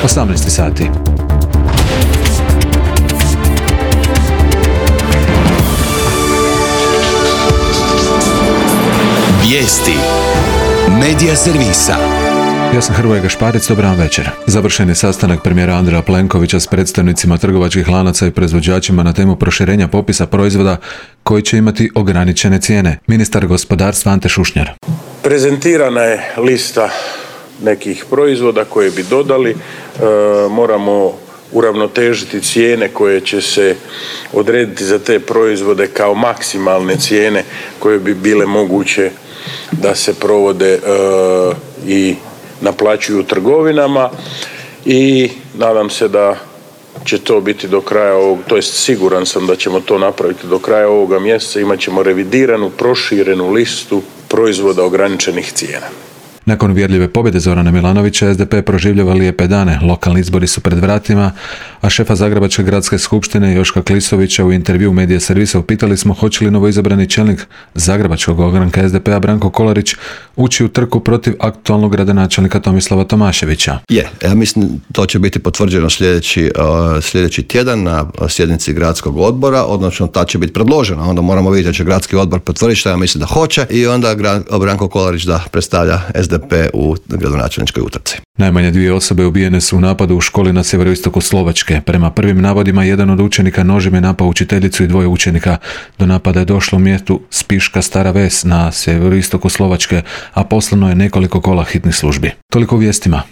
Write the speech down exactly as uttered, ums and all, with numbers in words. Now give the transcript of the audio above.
osamnaest sati. Vijesti Medija servisa. Ja sam Hrvoje Gašparic, dobar vam večer. Završen je sastanak premijera Andreja Plenkovića s predstavnicima trgovačkih lanaca i proizvođačima na temu proširenja popisa proizvoda koji će imati ograničene cijene. Ministar gospodarstva Ante Šušnjar. Prezentirana je lista nekih proizvoda koje bi dodali. E, moramo uravnotežiti cijene koje će se odrediti za te proizvode kao maksimalne cijene koje bi bile moguće da se provode e, i naplaćuju u trgovinama i nadam se da će to biti do kraja ovog, to jest siguran sam da ćemo to napraviti do kraja ovoga mjeseca. Imat ćemo revidiranu, proširenu listu proizvoda ograničenih cijena. Nakon uvjerljive pobjede Zorana Milanovića, S D P proživljava lijepe dane. Lokalni izbori su pred vratima, a šefa Zagrebačke gradske skupštine Joška Klisovića u intervju Medija servisa upitali smo hoće li novoizabrani čelnik Zagrebačkog ogranka S D P-a Branko Kolarić ući u trku protiv aktualnog gradonačelnika Tomislava Tomaševića. Je, ja mislim to će biti potvrđeno sljedeći, uh, sljedeći tjedan na sjednici gradskog odbora, odnosno ta će biti predložena. Onda moramo vidjeti da će gradski odbor potvrditi što ja mislim da hoće i onda Branko Kolarić da predstavlja S D P u gradonačelničkoj utrci. Najmanje dvije osobe ubijene su u napadu u školi na sjeveroistoku Slovačke. Prema prvim navodima, jedan od učenika nožem je napao učiteljicu i dvoje učenika. Do napada je došlo u mjestu Spiška Stara Ves na sjeveroistoku Slovačke, a poslano je nekoliko kola hitnih službi. Toliko u vijestima.